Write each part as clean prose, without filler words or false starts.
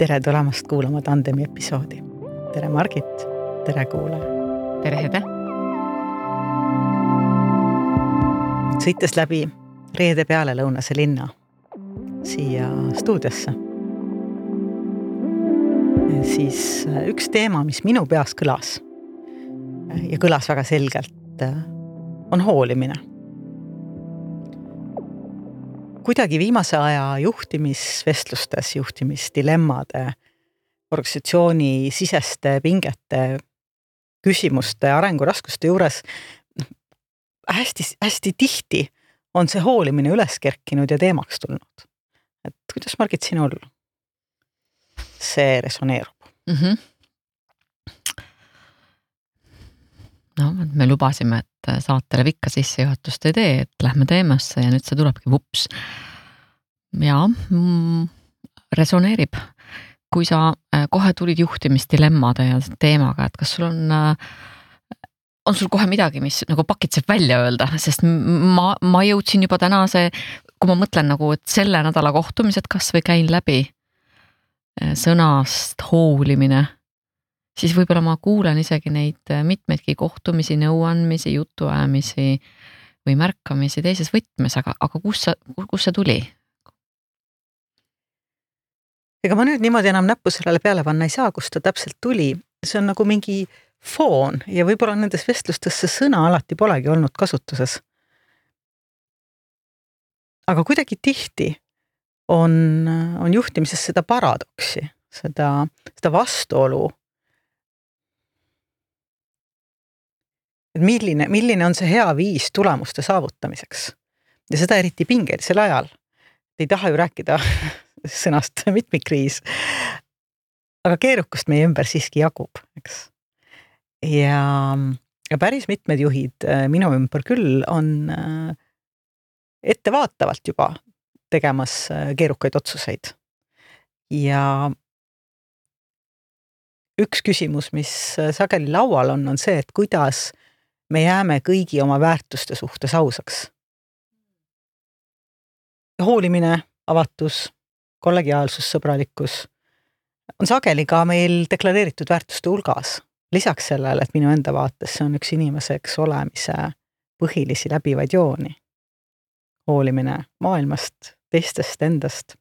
Tere tulemast kuulama Tandemi episoodi. Tere Margit, tere kuulaja. Tere Hede. Sõites läbi reede peale lõunase linna siia stuudiosse. Siis üks teema, mis minu peas kõlas ja kõlas väga selgelt, on hoolimine. Kuidagi viimase aja juhtimisvestlustes, juhtimisdilemmade, organisatsiooni siseste pingete, küsimuste, arenguraskuste juures hästi tihti on see hoolimine üles kerkinud ja teemaks tulnud. Et kuidas, Margit, sinul see resoneerub? No, me lubasime, et saatele pikka sissejuhatust ei tee, et lähme teemasse ja nüüd see tulebki vups. Ja resoneerib. Kui sa kohe tulid juhtimisdilemmade ja teemaga, et kas sul on sul kohe midagi, mis nagu pakitseb välja öelda, sest ma jõudsin juba tänase, kui ma mõtlen nagu, et selle nädala kohtumised kas või käin läbi sõnast hoolimine, siis võib-olla ma kuulen isegi neid mitmeidki kohtumisi, nõuandmisi, jutuajamisi või märkamisi teises võtmes, aga kus see tuli? Ega ma nüüd niimoodi enam näppu sellele peale panna ei saa, kus ta täpselt tuli. See on nagu mingi foon ja võib-olla nendes vestlustes see sõna alati polegi olnud kasutuses. Aga kuidagi tihti on juhtimises seda paradoksi, seda vastuolu. Et milline on see hea viis tulemuste saavutamiseks. Ja seda eriti pingelisel ajal. Ei taha ju rääkida sõnast mitmikkriis. Aga keerukust meie ümber siiski jagub, eks. Ja päris mitmed juhid minu ümber küll on ettevaatavalt juba tegemas keerukaid otsuseid. Ja üks küsimus, mis sageli laual on see, et kuidas me jääme kõigi oma väärtuste suhtes ausaks. Hoolimine, avatus, kollegiaalsus, sõbralikkus on sageli ka meil deklareeritud väärtuste hulgas. Lisaks sellele, et minu enda vaates see on üks inimeseks olemise põhilisi läbivaid jooni. Hoolimine maailmast, teistest, endast.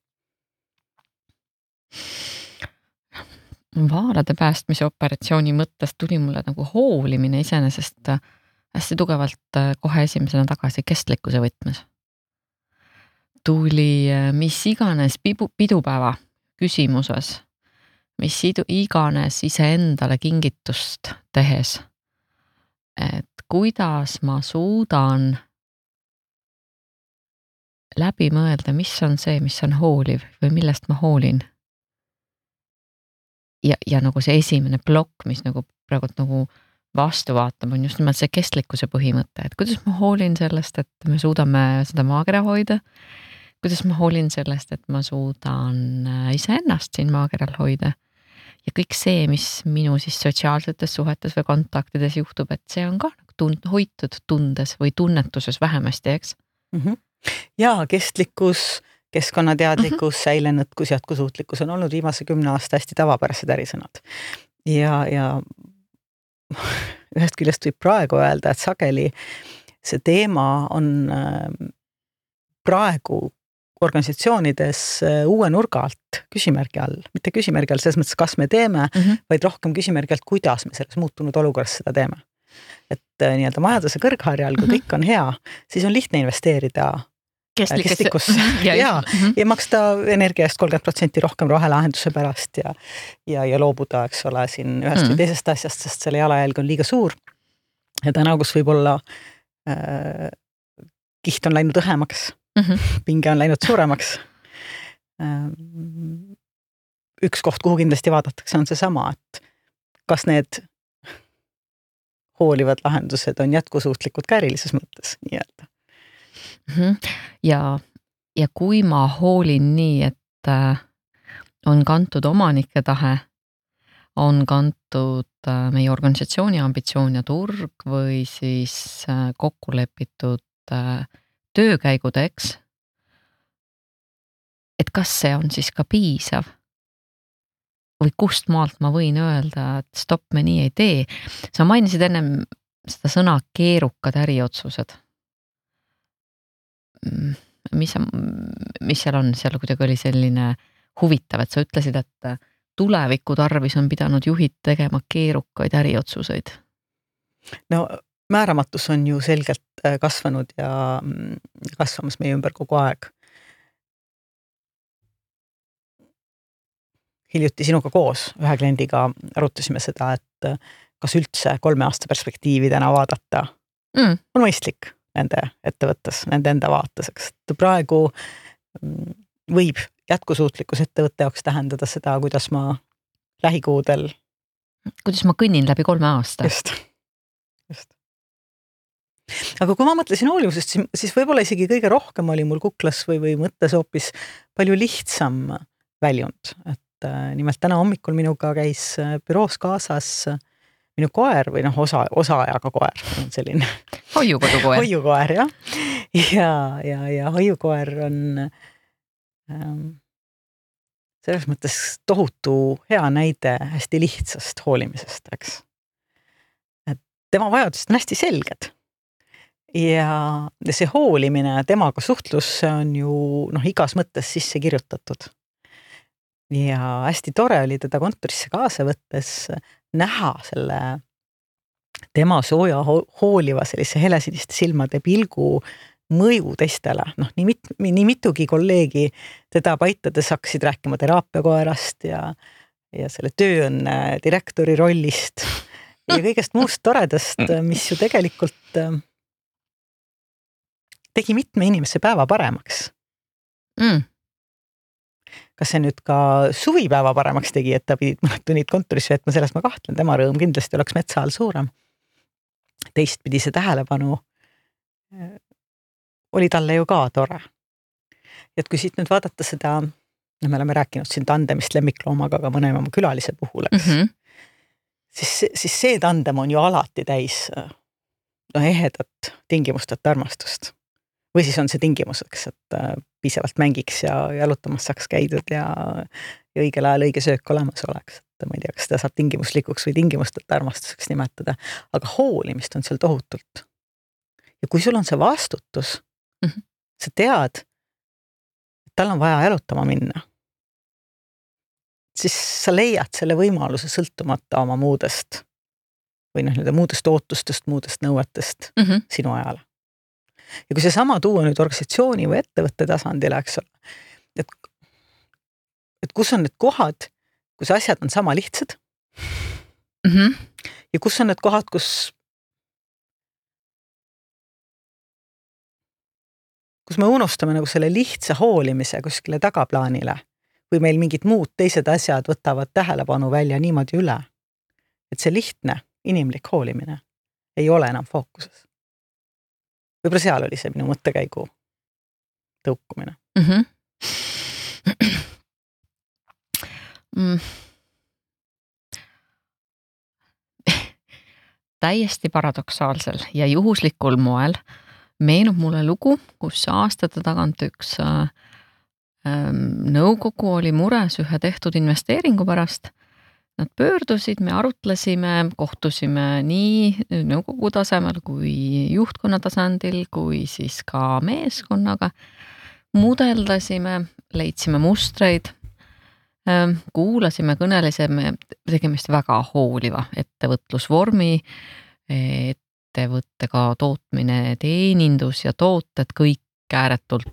Vaarade päästmise operatsiooni mõttes tuli mulle nagu hoolimine iseenesest hästi tugevalt kohe esimesena tagasi kestlikkuse võtmes. Tuli mis iganes pidupäeva küsimuses, mis iganes iseendale kingitust tehes, et kuidas ma suudan läbi mõelda, mis on see, mis on hooliv või millest ma hoolin. Ja nagu see esimene plokk, mis nagu praegu nagu vastu vaatab, on just nimelt see kestlikkuse põhimõte, et kuidas ma hoolin sellest, et me suudame seda maakera hoida, kuidas ma hoolin sellest, et ma suudan iseennast siin maakeral hoida ja kõik see, mis minu siis sotsiaalsetes suhetes või kontaktides juhtub, et see on ka hoitud tundes või tunnetuses vähemasti, eks? Ja kestlikkus, keskkonnateadlikkus, säilenõtkus, jätkusuutlikkus on olnud viimase 10 aasta hästi tavapärased ärisõnad. Ja ühest küljest võib praegu öelda, et sageli see teema on praegu organisatsioonides uue nurga alt küsimärgi all. Mitte küsimärgi all selles mõttes, kas me teeme, vaid rohkem küsimärgi alt, kuidas me selles muutunud olukorras seda teeme. Et nii-öelda majanduse kõrgharjal, kui kõik on hea, siis on lihtne investeerida kestlikkusse ja maksta energia eest 30% rohkem rohelahenduse pärast ja loobuda, eks ole, siin ühest või teisest asjast, sest selle jalajälg on liiga suur. Ja täna, kus võib-olla kiht on läinud õhemaks, pinge on läinud suuremaks. Üks koht, kuhu kindlasti vaadatakse, on see sama, et kas need hoolivad lahendused on jätkusuutlikud ka erilises mõttes, nii-öelda. Ja kui ma hoolin nii, et on kantud omanike tahe, on kantud meie organisatsiooni ambitsioon ja turg või siis kokku lepitud töökäigudeks, et kas see on siis ka piisav? või kust maalt ma võin öelda, et stopp, me nii ei tee. Sa mainisid ennem seda sõna keerukad äriotsused. Mis seal on? Seal kuidagi oli selline huvitav, et sa ütlesid, et tuleviku tarvis on pidanud juhid tegema keerukaid äriotsuseid. No määramatus on ju selgelt kasvanud ja kasvamas meie ümber kogu aeg. Hiljuti sinuga koos ühe kliendiga arutasime seda, et kas üldse 3 aasta perspektiivi täna vaadata on mõistlik nende ettevõttes, nende enda vaataseks. Praegu võib jätkusuutlikkus ettevõtte jaoks tähendada seda, kuidas ma lähikuudel. Kuidas ma kõnnin läbi 3 aasta. Just. Aga kui ma mõtlesin hoolivusest, siis võib-olla isegi kõige rohkem oli mul kuklas või mõttes hoopis palju lihtsam väljund. Et nimelt täna hommikul minuga käis büroos kaasas minu koer või osaajaga koer, selline hoiukodukoer. Hoiukoer, jah. Ja hoiukoer on selles mõttes tohutu hea näide hästi lihtsast hoolimisest, eks. Et tema vajadused on hästi selged. Ja see hoolimine, temaga suhtlus on ju igas mõttes sisse kirjutatud. Ja hästi tore oli teda kontorisse kaasa võttes näha selle tema sooja hooliva sellise helesiniste silmade pilgu mõju teistele. Nii mitugi kolleegi teda paitades hakkasid rääkima teraapiakoerast ja selle tööõnne direktori rollist ja kõigest muust toredast, mis ju tegelikult tegi mitme inimese päeva paremaks. Kas see nüüd ka suvipäeva paremaks tegi, et ta pidid mõned tunnid kontorisse veetma, selles ma kahtlen, tema rõõm kindlasti oleks metsa all suurem. Teistpidi see tähelepanu oli talle ju ka tore. Et kui siit nüüd vaadata seda, me oleme rääkinud siin tandemist lemmikloomaga ka mõne oma külalise puhul, siis see tandem on ju alati täis ehedat tingimusteta armastust. Või siis on see tingimuseks, et piisavalt mängiks ja jalutamas saaks käidud ja õigel ajal õige söök olemas oleks. Et ma ei tea, kas seda saab tingimuslikuks või tingimusteta armastuseks nimetada. Aga hoolimist on seal tohutult. Ja kui sul on see vastutus, sa tead, et tal on vaja jalutama minna, siis sa leiad selle võimaluse sõltumata oma muudest või muudest ootustest, muudest nõuetest sinu ajale. Ja kui see sama tuua nüüd organisatsiooni või ettevõtte tasandile, eks ole, et kus on need kohad, kus asjad on sama lihtsad ja kus on need kohad, kus me unustame selle lihtsa hoolimise kuskile tagaplaanile või meil mingid muud teised asjad võtavad tähelepanu välja niimoodi üle, et see lihtne inimlik hoolimine ei ole enam fookuses. Võib-olla seal oli see minu mõttekäigu tõukumine. Täiesti paradoksaalsel ja juhuslikul moel meenub mulle lugu, kus aastate tagant üks nõukogu oli mures ühe tehtud investeeringu pärast. Nad pöördusid, me arutlesime, kohtusime nii nõukogu tasemel kui juhtkonna tasandil, kui siis ka meeskonnaga. Mudeldasime, leidsime mustreid, kuulasime, kõnelesime, tegemist väga hooliva ettevõtlusvormi, ettevõttega tootmine, teenindus ja tooted, kõik ääretult,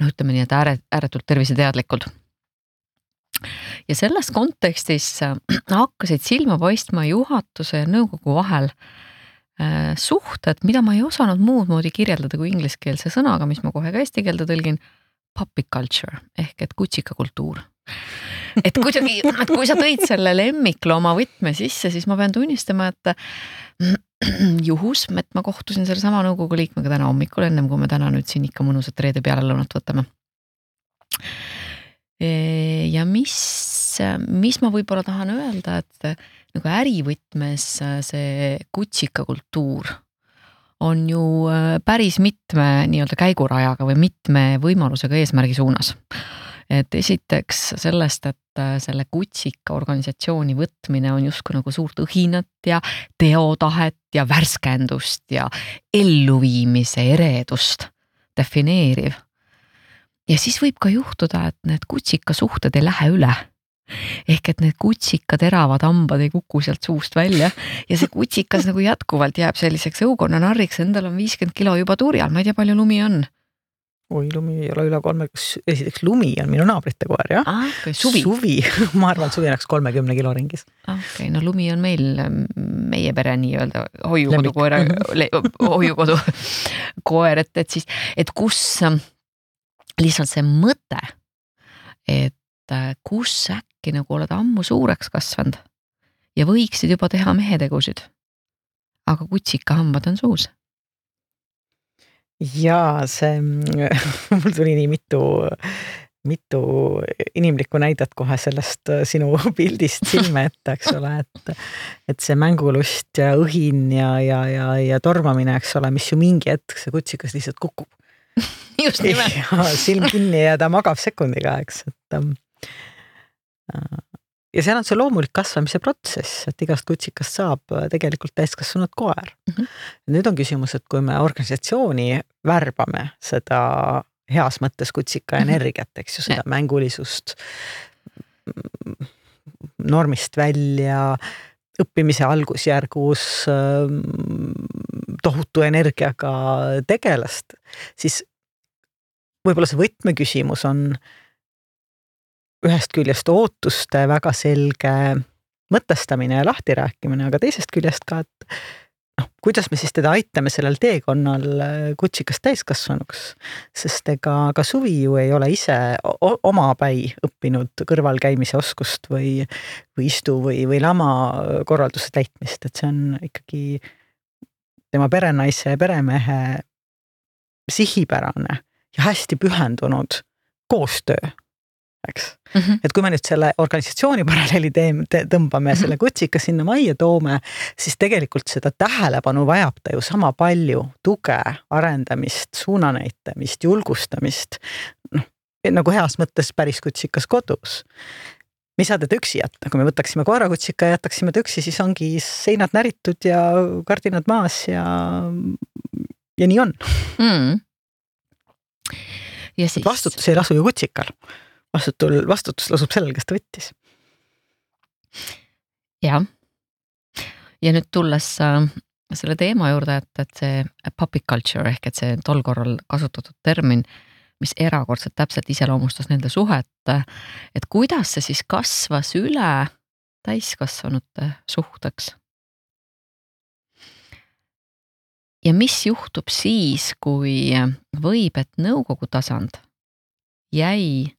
ütleme nii, et ääretult terviseteadlikud. Ja selles kontekstis hakkasid silma paistma juhatuse ja nõukogu vahel suhted, mida ma ei osanud muud moodi kirjeldada kui ingliskeelse sõnaga, mis ma kohe ka eesti keelde tõlgin, puppy culture ehk et kutsikakultuur. Et kuidagi, et kui sa tõid selle lemmiklooma võtme sisse, siis ma pean tunnistama, et juhus, et ma kohtusin selle sama nõukogu liikmega täna hommikul, ennem kui me täna nüüd siin ikka mõnusat reede peale lõunat võtame. Ja mis ma võib-olla tahan öelda, et nagu ärivõtmes see kutsikakultuur on ju päris mitme nii-öelda käigurajaga või mitme võimalusega eesmärgi suunas. Et esiteks sellest, et selle kutsika organisatsiooni võtmine on justkui nagu suurt õhinat ja teotahet ja värskendust ja elluviimise eredust defineeriv. Ja siis võib ka juhtuda, et need kutsika suhted ei lähe üle. Ehk et need kutsika teravad hambad ei kuku sealt suust välja ja see kutsikas nagu jätkuvalt jääb selliseks õukonna narriks, endal on 50 kilo juba turjal, ma ei tea, palju lumi on. Oi, lumi ei ole üle 3, esiteks lumi on minu naabrite koer, jah? Okay, suvi. Ma arvan, suvi oleks 30 kilo ringis. Okay, no lumi on meil, meie pere nii-öelda hoiukodu koer, et siis, et kus lihtsalt see mõte, et kus äkki nagu oled ammu suureks kasvanud ja võiksid juba teha mehetegusid, aga kutsika hambad on suus. Jaa, see, mul tuli nii mitu inimlikku näidet kohe sellest sinu pildist silme ette, eks ole, et see mängulust ja õhin ja tormamine, eks ole, mis ju mingi hetk see kutsikas lihtsalt kukub. Just nimelt. Ja silm kinni ja ta magab sekundiga, eks, et ja seal on see loomulik kasvamise protsess, et igast kutsikast saab tegelikult täiskasvanud koer. Nüüd on küsimus, et kui me organisatsiooni värbame seda heas mõttes kutsika energiat, eks ju, seda mängulisust, normist välja, õppimise algusjärgus tohutu energiaga tegelast, siis võib-olla see võtmeküsimus on ühest küljest ootuste väga selge mõtestamine ja lahtirääkimine, aga teisest küljest ka, et kuidas me siis teda aitame sellel teekonnal kutsikast täiskasvanuks, sest ega ka Suvi ju ei ole ise omapäi õppinud kõrvalkäimise oskust või istu või lama korralduse täitmist, et see on ikkagi tema perenaise ja peremehe sihipärane ja hästi pühendunud koostöö. Eks? Et kui me nüüd selle organisatsiooni paralleeli tõmbame selle kutsika sinna majja toome, siis tegelikult seda tähelepanu vajab ta ju sama palju tuge, arendamist, suunanäitamist, julgustamist, nagu heas mõttes päris kutsikas kodus. Me ei saa teda üksi jätta, kui me võtaksime koerakutsika ja jätaksime ta üksi, siis ongi seinad näritud ja kardinad maas ja nii on. Ja siis... Vastutus ei lasu ju kutsikal. Vastutus lasub sellel, kes ta võttis. Jah. Ja nüüd tulles selle teema juurde, et see puppy culture ehk et see tol korral kasutatud termin, mis erakordselt täpselt iseloomustas nende suhet, et kuidas see siis kasvas üle täiskasvanute suhteks. Ja mis juhtub siis, kui võib, et nõukogu tasand jäi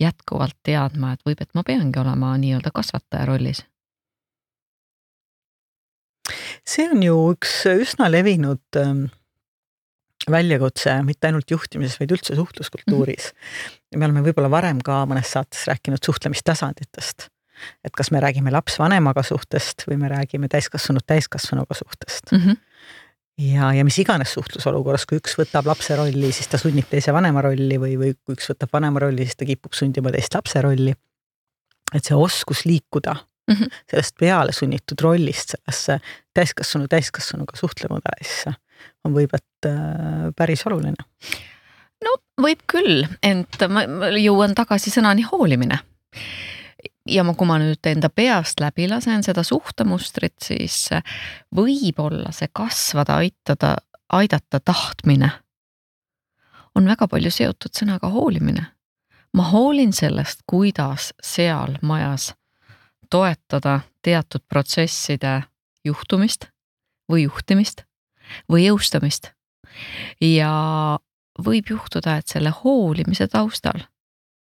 jätkuvalt teadma, et võib, et ma peangi olema nii-öelda kasvataja rollis? See on ju üks üsna levinud väljakutse, mitte ainult juhtimises, vaid üldse suhtluskultuuris. Me oleme võib-olla varem ka mõnes saates rääkinud suhtlemistasanditest. Et kas me räägime laps vanemaga suhtest või me räägime täiskasvanuga suhtest. Ja mis iganes suhtlusolukorras, kui üks võtab lapse rolli, siis ta sunnib teise vanema rolli või kui üks võtab vanema rolli, siis ta kipub sundima teist lapse rolli. Et see oskus liikuda sellest peale sunnitud rollist sellesse täiskasvanuga suhtlemudelisse on võib, et päris oluline. No võib küll, ent ma jõuan tagasi sõnani hoolimine. Ja kui ma nüüd enda peast läbi lasen seda suhtemustrit, siis võib-olla see kasvada, aidata tahtmine on väga palju seotud sõnaga hoolimine. Ma hoolin sellest, kuidas seal majas toetada teatud protsesside juhtumist või juhtimist või jõustamist. Ja võib juhtuda, et selle hoolimise taustal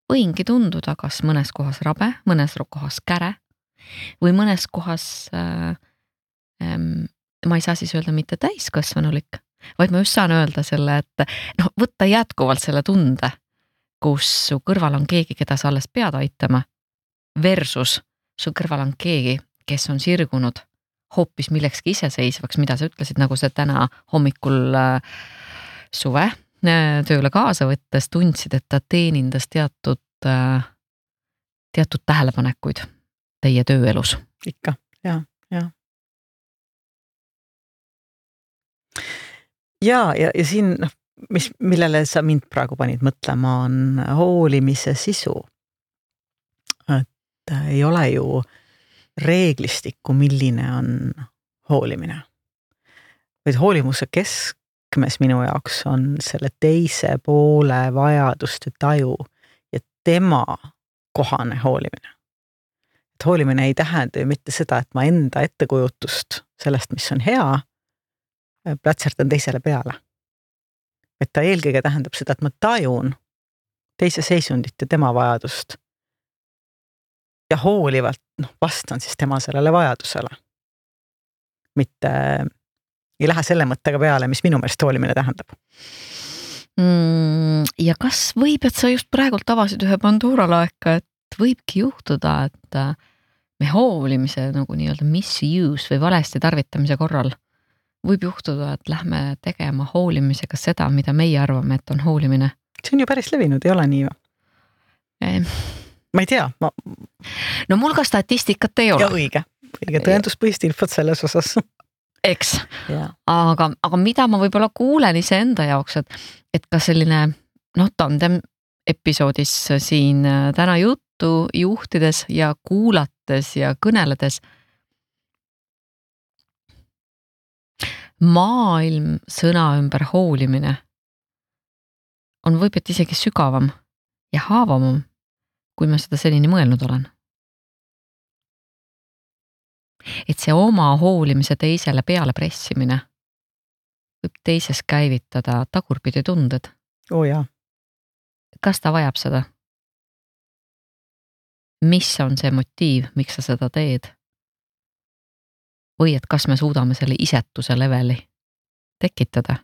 võingi tunduda kas mõnes kohas rabe, mõnes kohas käre või mõnes kohas ma ei saa siis öelda mitte täiskasvanulik, vaid ma just saan öelda selle, et võtta jätkuvalt selle tunde, kus su kõrval on keegi, keda sa alles pead aitama versus su kõrval on keegi, kes on sirgunud hoopis millekski iseseisvaks, mida sa ütlesid, nagu see täna hommikul suve tööle kaasa võttes tundsid, et ta teenindas teatud tähelepanekuid teie tööelus? Ikka, ja. Ja siin, millele sa mind praegu panid mõtlema, on hoolimise sisu. Et ei ole ju reeglistikku, milline on hoolimine. Vaid hoolimuse keskmes minu jaoks on selle teise poole vajaduste taju ja tema kohane hoolimine. Et hoolimine ei tähenda ju mitte seda, et ma enda ettekujutust sellest, mis on hea, plätserdan teisele peale. Et ta eelkõige tähendab seda, et ma tajun teise seisundit ja tema vajadust ja hoolivalt vastan siis tema sellele vajadusele. Mitte ei lähe selle mõttega peale, mis minu meelest hoolimine tähendab. Ja kas võib, et sa just praegult avasid ühe Pandora laeka, et võibki juhtuda, et me hoolimise nagu nii-öelda misuse või valesti tarvitamise korral võib juhtuda, et lähme tegema hoolimisega seda, mida meie arvame, et on hoolimine. See on ju päris levinud, ei ole nii või? Ma ei tea. No mul ka statistikat ei ole. Ja õige tõenduspõhist infot selles osas. Eks, aga mida ma võib-olla kuulen ise enda jaoks, et ka selline tandem episoodis siin täna juttu juhtides ja kuulates ja kõneledes, maailm sõna ümber hoolimine on võib-et isegi sügavam ja haavavam, kui ma seda senini mõelnud olen. Et see oma hoolimise teisele peale pressimine võib teises käivitada tagurpidi tunded. Jaa. Kas ta vajab seda? Mis on see motiiv, miks sa seda teed? Või et kas me suudame selle isetuse leveli tekitada,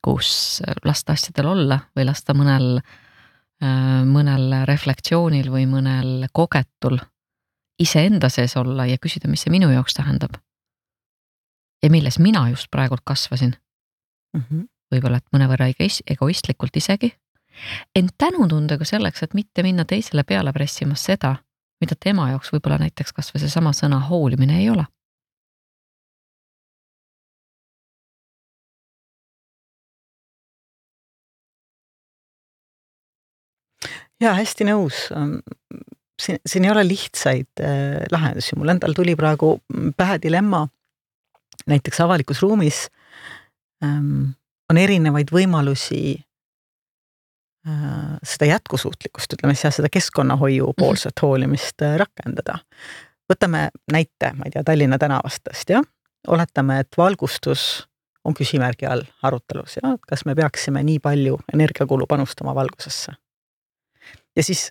kus lasta asjadel olla või lasta mõnel reflektsioonil või mõnel kogetul iseenda sees olla ja küsida, mis see minu jaoks tähendab. Ja milles mina just praegult kasvasin. Võib-olla, et mõnevõrra egoistlikult isegi. Ent tänutundega selleks, et mitte minna teisele peale pressima seda, mida tema jaoks võib-olla näiteks kas või see sama sõna hoolimine ei ole. Jaa, hästi nõus. Siin ei ole lihtsaid lahendusi. Mul endal tuli praegu pähe dilemma. Näiteks avalikus ruumis on erinevaid võimalusi seda jätkusuutlikkust, ütleme seda keskkonnahoiu poolset hoolimist rakendada. Võtame näite, ma ei tea, Tallinna tänavastest, ja? Oletame, et valgustus on küsimärgi all arutelus, ja? Kas me peaksime nii palju energiakulu panustama valgusesse? Ja siis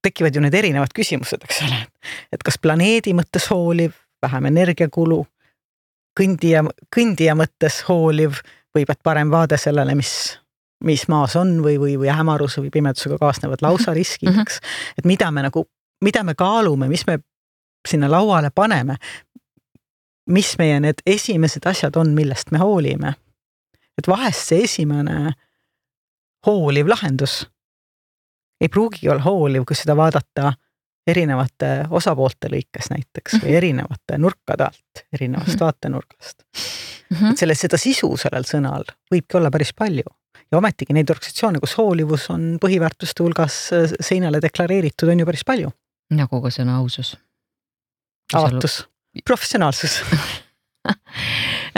tekivad ju need erinevad küsimused, eks ole, et kas planeedi mõttes hooliv, vähem energiakulu, kõndija mõttes hooliv, või et parem vaade sellele, mis maas on või hämaruse või pimedusega kaasnevad lausa riskid, eks? Et mida me kaalume, mis me sinna lauale paneme, mis meie need esimesed asjad on, millest me hoolime. Et vahest see esimene hooliv lahendus ei pruugi olla hooliv, kui seda vaadata erinevate osapoolte lõikes näiteks või erinevate nurkade alt, erinevast vaatenurgast. Et seda sisu sellel sõnal võibki olla päris palju. Ja ometigi neid organisatsioone, kus hoolivus on põhiväärtuste hulgas seinale deklareeritud, on ju päris palju. Nagu ka sõna ausus. Avatus, professionaalsus.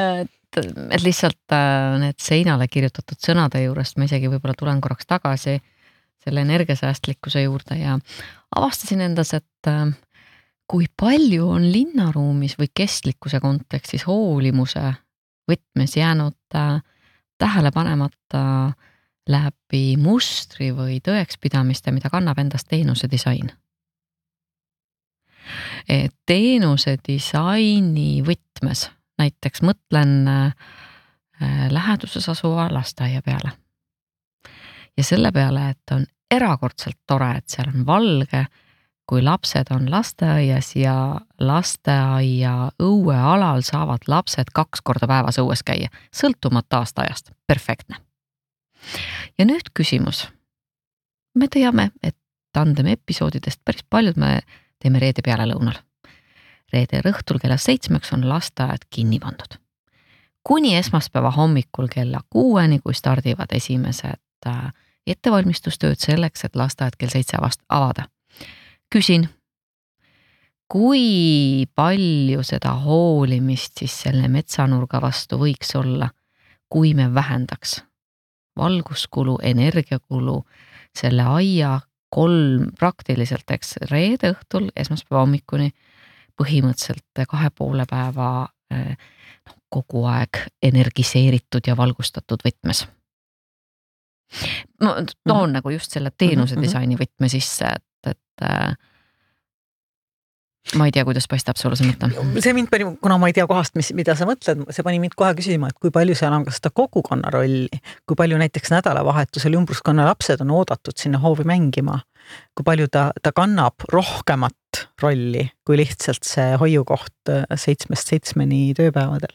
Et lihtsalt need seinale kirjutatud sõnade juurest ma isegi võib-olla tulen korraks tagasi selle energiasäästlikkuse juurde ja avastasin endas, et kui palju on linnaruumis või kestlikkuse kontekstis hoolimuse võtmes jäänud tähele panemata läbi mustri või tõekspidamiste, mida kannab endast teenuse disain. Teenuse disaini võtmes, näiteks mõtlen läheduses asuva lasteaia peale. Ja selle peale, et on erakordselt tore, et seal on valge, kui lapsed on lasteaias ja lasteaia õuealal saavad lapsed 2 korda päevas õues käia, sõltumata aastaajast. Perfektne. Ja nüüd küsimus. Me teame, et tandem episoodidest päris paljud me teeme reede peale lõunal. Reede õhtul kella 7 on lasteaed kinni pandud. Kuni esmaspäeva hommikul kella 6, kui stardivad esimesed ettevalmistustööd selleks, et lasteaed kell 7 avada. Küsin, kui palju seda hoolimist siis selle metsanurga vastu võiks olla, kui me vähendaks valguskulu, energiakulu, selle aia 3 praktiliselt, eks, reede õhtul esmaspäeva hommikuni põhimõtteliselt 2,5 päeva kogu aeg energiseeritud ja valgustatud võtmes. Ma toon nagu just selle teenuse disaini võtme sisse, et ma ei tea, kuidas paistab sulle see mõte. See mind pani, kuna ma ei tea kohast, mida sa mõtled, see pani mind kohe küsima, et kui palju seal on ka seda kogukonna rolli, kui palju näiteks nädalavahetusel ümbruskonna lapsed on oodatud sinna hoovi mängima, kui palju ta kannab rohkemat rolli kui lihtsalt see hoiukoht 7-7 tööpäevadel.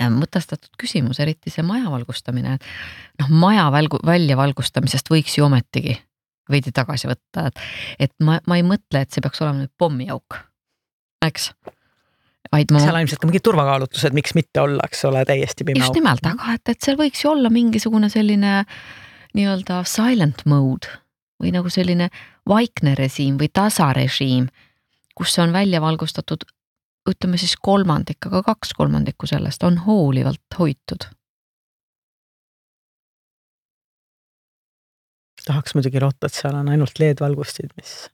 Mõtestatud küsimus, eriti see maja valgustamine. Maja välja valgustamisest võiks ju ometigi veidi tagasi võtta, et ma ei mõtle, et see peaks olema nüüd pommiauk, eks? Seal on ilmselt ka mingid turvakaalutlused, miks mitte olla, eks ole, täiesti pime auk. Just nimelt, aga et seal võiks ju olla mingisugune selline nii-öelda silent mode või nagu selline vaikne režiim või tasarežiim, kus on välja valgustatud, ütleme siis 1/3, aga 2/3 sellest on hoolivalt hoitud. Tahaks muidugi loota, et seal on ainult LED-valgustid, mis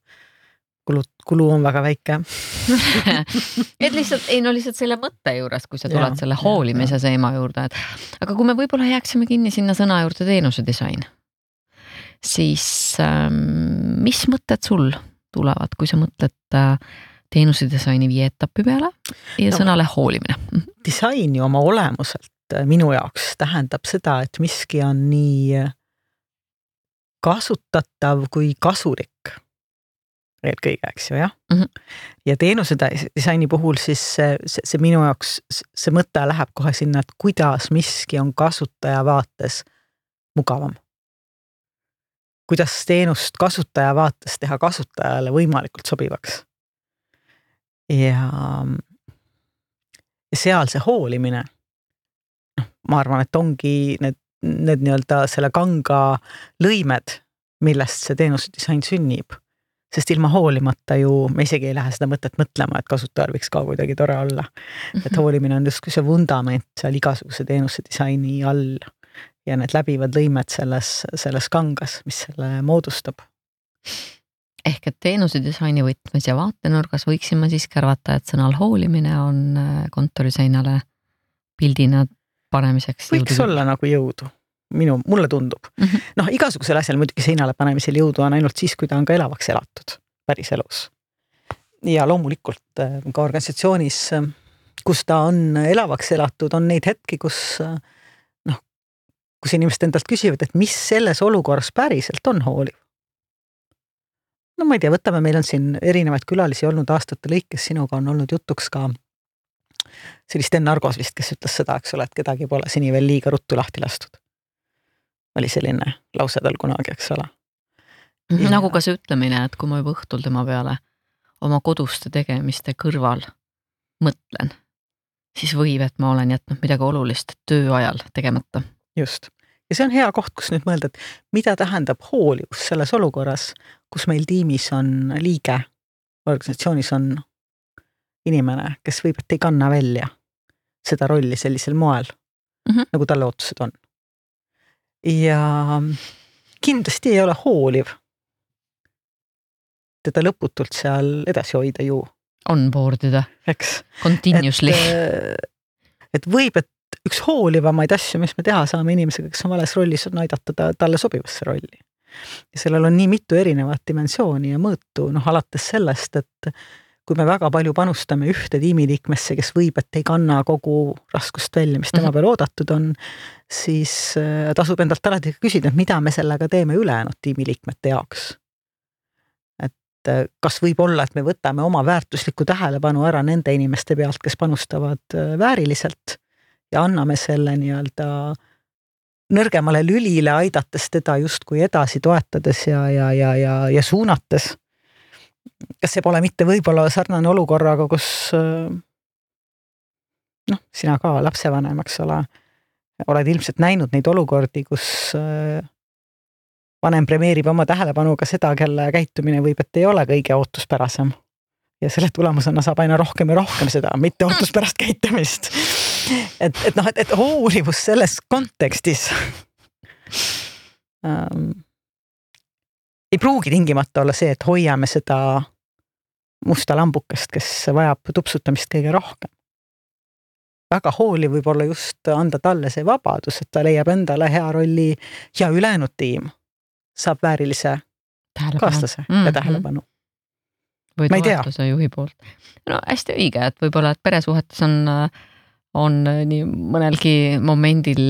kulu on väga väike. Et lihtsalt selle mõtte juures, kui sa tuled selle hoolimise seema juurde, aga kui me võib-olla jääksime kinni sinna sõna juurde teenuse disain, siis mis mõtted sul tulevad, kui sa mõtled teenuse disaini 5 etappi peale ja sõnale hoolimine? Disain ju oma olemuselt minu jaoks tähendab seda, et miski on nii kasutatav kui kasulik eelkõige, eks ju, jah? Ja teenuse disaini puhul siis see minu jaoks, see mõte läheb kohe sinna, et kuidas miski on kasutaja vaates mugavam. Kuidas teenust kasutaja vaates teha kasutajale võimalikult sobivaks. Ja seal see hoolimine, ma arvan, et ongi need nii-öelda selle kanga lõimed, millest see teenuse disain sünnib. Sest ilma hoolimata ju me isegi ei lähe seda mõtet mõtlema, et kasutajal võiks ka kuidagi tore olla. Et hoolimine on justkui see vundament seal igasuguse teenuse disaini all ja need läbivad lõimed selles kangas, mis selle moodustab. Ehk et teenuse disaini võtmes ja vaatenurgas võiksime siis arvata, et sõnal hoolimine on kontoriseinale pildina panemiseks võiks olla nagu jõudu. Mulle tundub. Igasugusel asjal muidugi seinale panemisel jõudu on ainult siis, kui ta on ka elavaks elatud päris elus. Ja loomulikult ka organisatsioonis, kus ta on elavaks elatud, on neid hetki, kus inimesed endalt küsivad, et mis selles olukorras päriselt on hooliv. Ma ei tea, võtame, meil on siin erinevaid külalisi olnud aastate lõikes, sinuga on olnud jutuks ka sellist Sten Argos vist, kes ütles seda, eks ole, et kedagi pole seni veel liiga ruttu lahti lastud. Oli selline lause tal kunagi, eks ole. Nagu ka see ütlemine, et kui ma juba õhtul tema peale oma koduste tegemiste kõrval mõtlen, siis võib, et ma olen jätnud midagi olulist töö ajal tegemata. Just. Ja see on hea koht, kus nüüd mõelda, et mida tähendab hoolivus selles olukorras, kus meil tiimis on liige, organisatsioonis on inimene, kes võib, et ei kanna välja seda rolli sellisel moel, nagu talle ootused on. Ja kindlasti ei ole hooliv teda lõputult seal edasi hoida ju. On boardida. Eks. Continuously. Et võib, et üks hoolivamaid asju, mis me teha saame inimesega, kes on vales rollis, on aidata talle sobivasse rolli. Ja sellel on nii mitu erinevat dimensiooni ja mõõtu, alates sellest, et kui me väga palju panustame ühte tiimiliikmesse, kes võib, et ei kanna kogu raskust välja, mis tema peal oodatud on, siis tasub endalt alati küsida, et mida me sellega teeme ülejäänud tiimiliikmete jaoks. Et kas võib olla, et me võtame oma väärtuslikku tähelepanu ära nende inimeste pealt, kes panustavad vääriliselt ja anname selle nii-öelda nõrgemale lülile aidates teda justkui edasi toetades ja suunates. Kas see pole mitte võib-olla sarnane olukorraga, kus sina ka lapsevanem, eks ole, oled ilmselt näinud neid olukordi, kus vanem premeerib oma tähelepanuga seda, kelle käitumine võib, et ei ole kõige ootuspärasem. Ja selle tulemusena saab aina rohkem ja rohkem seda mitte ootuspärast käitumist. Et hoolivus selles kontekstis ei pruugi tingimata olla see, et hoiame seda musta lambukest, kes vajab tupsutamist kõige rohkem. Väga hooliv võib olla just anda talle see vabadus, et ta leiab endale hea rolli ja ülejäänud tiim saab väärilise kaaslase ja tähelepanu. Või toetuse juhi poolt. No hästi õige, et võib-olla, et peresuhetes on nii mõnelgi momendil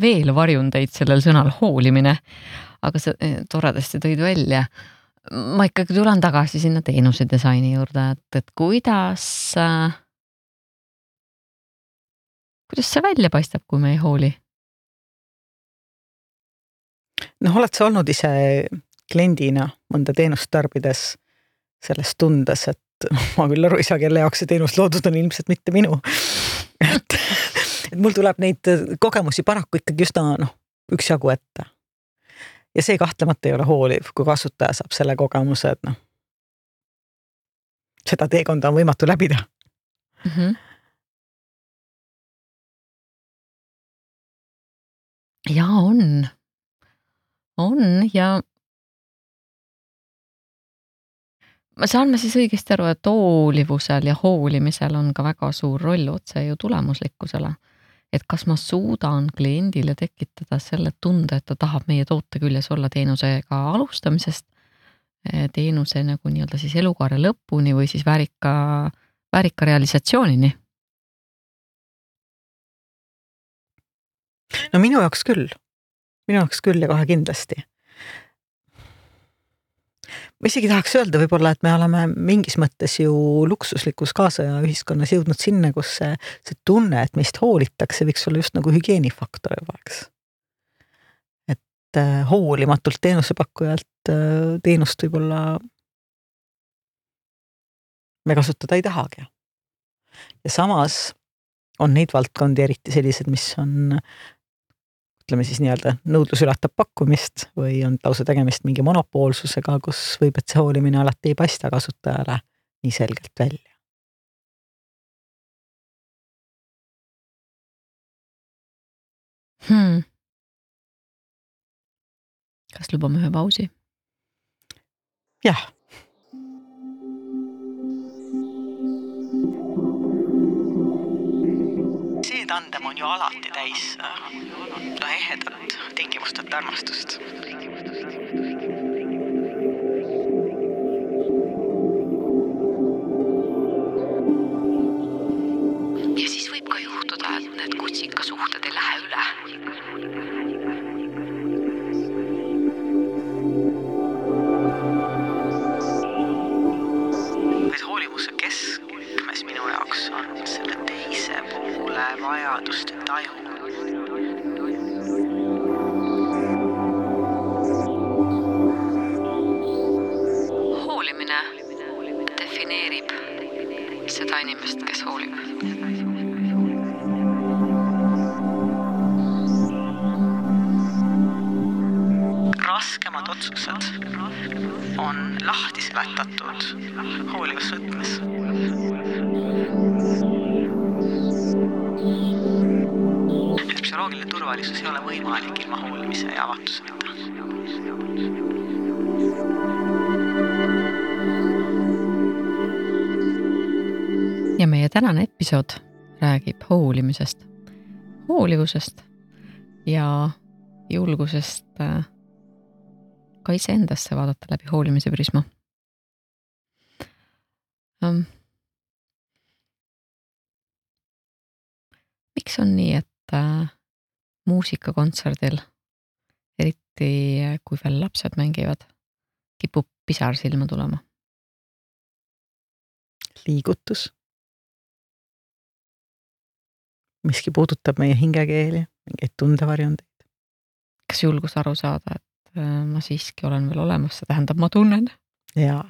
veel varjundeid sellel sõnal hoolimine, aga sa toredasti tõid välja. Ma ikkagi tulen tagasi sinna teenuse disaini juurde, et kuidas see välja paistab, kui me ei hooli? Oled sa olnud ise kliendina mõnda teenust tarbides sellest tundes, et ma küll aru ei saa, kelle jaoks see teenus loodud on, ilmselt mitte minu. Et mul tuleb neid kogemusi paraku ikkagi just üksjagu ette. Ja see kahtlemata ei ole hooliv, kui kasutaja saab selle kogemuse, et seda teekonda on võimatu läbida. Ja on ja saan ma siis õigesti aru, et hoolivusel ja hoolimisel on ka väga suur roll otse ju tulemuslikkusele. Et kas ma suudan kliendile tekitada selle tunde, et ta tahab meie toote küljes olla teenusega alustamisest, teenuse nagu nii-öelda siis elukaare lõpuni või siis väärika realisatsioonini? No minu jaoks küll ja kohe kindlasti. Ma isegi tahaks öelda võib-olla, et me oleme mingis mõttes ju luksuslikus kaasaja ühiskonnas jõudnud sinna, kus see tunne, et meist hoolitakse, võiks olla just nagu hügieenifaktor juba, eks. Et hoolimatult teenusepakkujalt teenust võib-olla me kasutada ei tahagi. Ja samas on neid valdkondi eriti sellised, mis on ütleme siis nii-öelda nõudlus ületab pakkumist või on lausa tegemist mingi monopoolsusega, kus võib, et see hoolimine alati ei paista kasutajale nii selgelt välja. Kas lubame ühe pausi? Jah. See tandem on ju alati täis ehedat tingimusteta armastust. Ja siis võib ka juhtuda, et need kutsikasuhted ei lähe üle. Vaid hoolivuse keskmes minu jaoks on selle teise poole vajaduste taju. Hoolimine defineerib seda inimest, kes hoolib. Raskemad otsused on lahti seletatud hoolivas võtmes. Psühholoogiline turvalisus ei ole võimalik ilma hoolimise ja avatuseta. Ja meie tänane episood räägib hoolimisest, hoolivusest ja julgusest ka iseendasse vaadata läbi hoolimise prisma. Miks on nii, et muusikakontserdil, eriti kui veel lapsed mängivad, kipub pisar silma tulema? Liigutus. miski puudutab meie hingekeeli, mingeid tundevarjundeid. Kas julgus aru saada, et ma siiski olen veel olemas, see tähendab, ma tunnen? Jaa.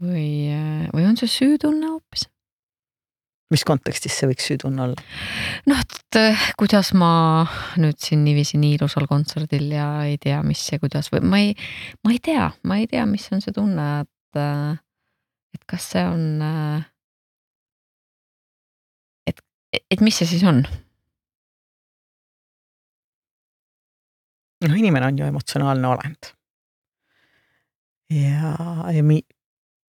Või on see süütunne hoopis? Mis kontekstis see võiks süütunne olla? Et kuidas ma nüüd siin niiviisi nii ilusal kontserdil ja ei tea, mis ja kuidas või ma ei tea, mis on see tunne, et kas see on, et mis see siis on? Inimene on ju emotsionaalne olend. Ja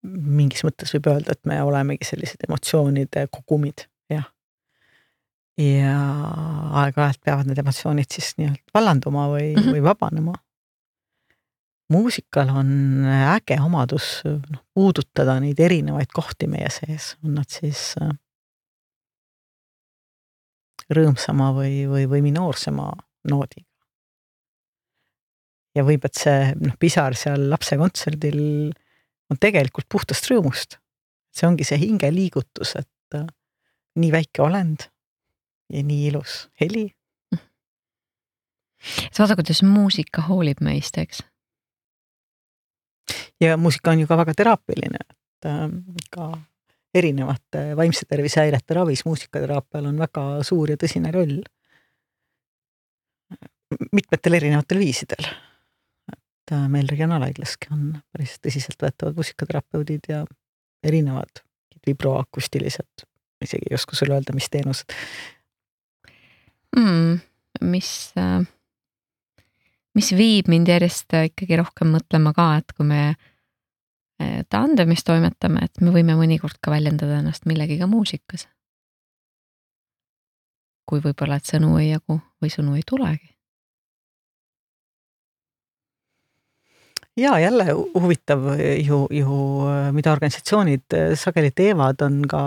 mingis mõttes võib öelda, et me olemegi sellised emotsioonide kogumid, jah. Ja aeg-ajalt peavad need emotsioonid siis vallanduma või vabanema. Muusikal on äge omadus puudutada neid erinevaid kohti meie sees. On nad siis rõõmsama või minoorsema noodiga. Ja võib, et see pisar seal lapse kontserdil on tegelikult puhtast rõõmust. See ongi see hinge liigutus, et nii väike olend ja nii ilus heli. Sa vaata, kuidas muusika hoolib meist, eks? Ja muusika on ju ka väga teraapiline, et ka erinevate vaimse tervise häirete ravis muusikateraapial on väga suur ja tõsine roll. Mitmetel erinevatel viisidel. Meil regionaalhaiglaski on päris tõsiselt võetavad muusikaterapeudid ja erinevad vibroakustilised, isegi ei oska sulle öelda, mis teenused. Mis viib mind järjest ikkagi rohkem mõtlema ka, et kui me tandemis toimetame, et me võime mõnikord ka väljendada ennast millegiga muusikas. Kui võib-olla, et sõnu ei jagu või sõnu ei tulegi. Ja jälle huvitav ju mida organisatsioonid sageli teevad, on ka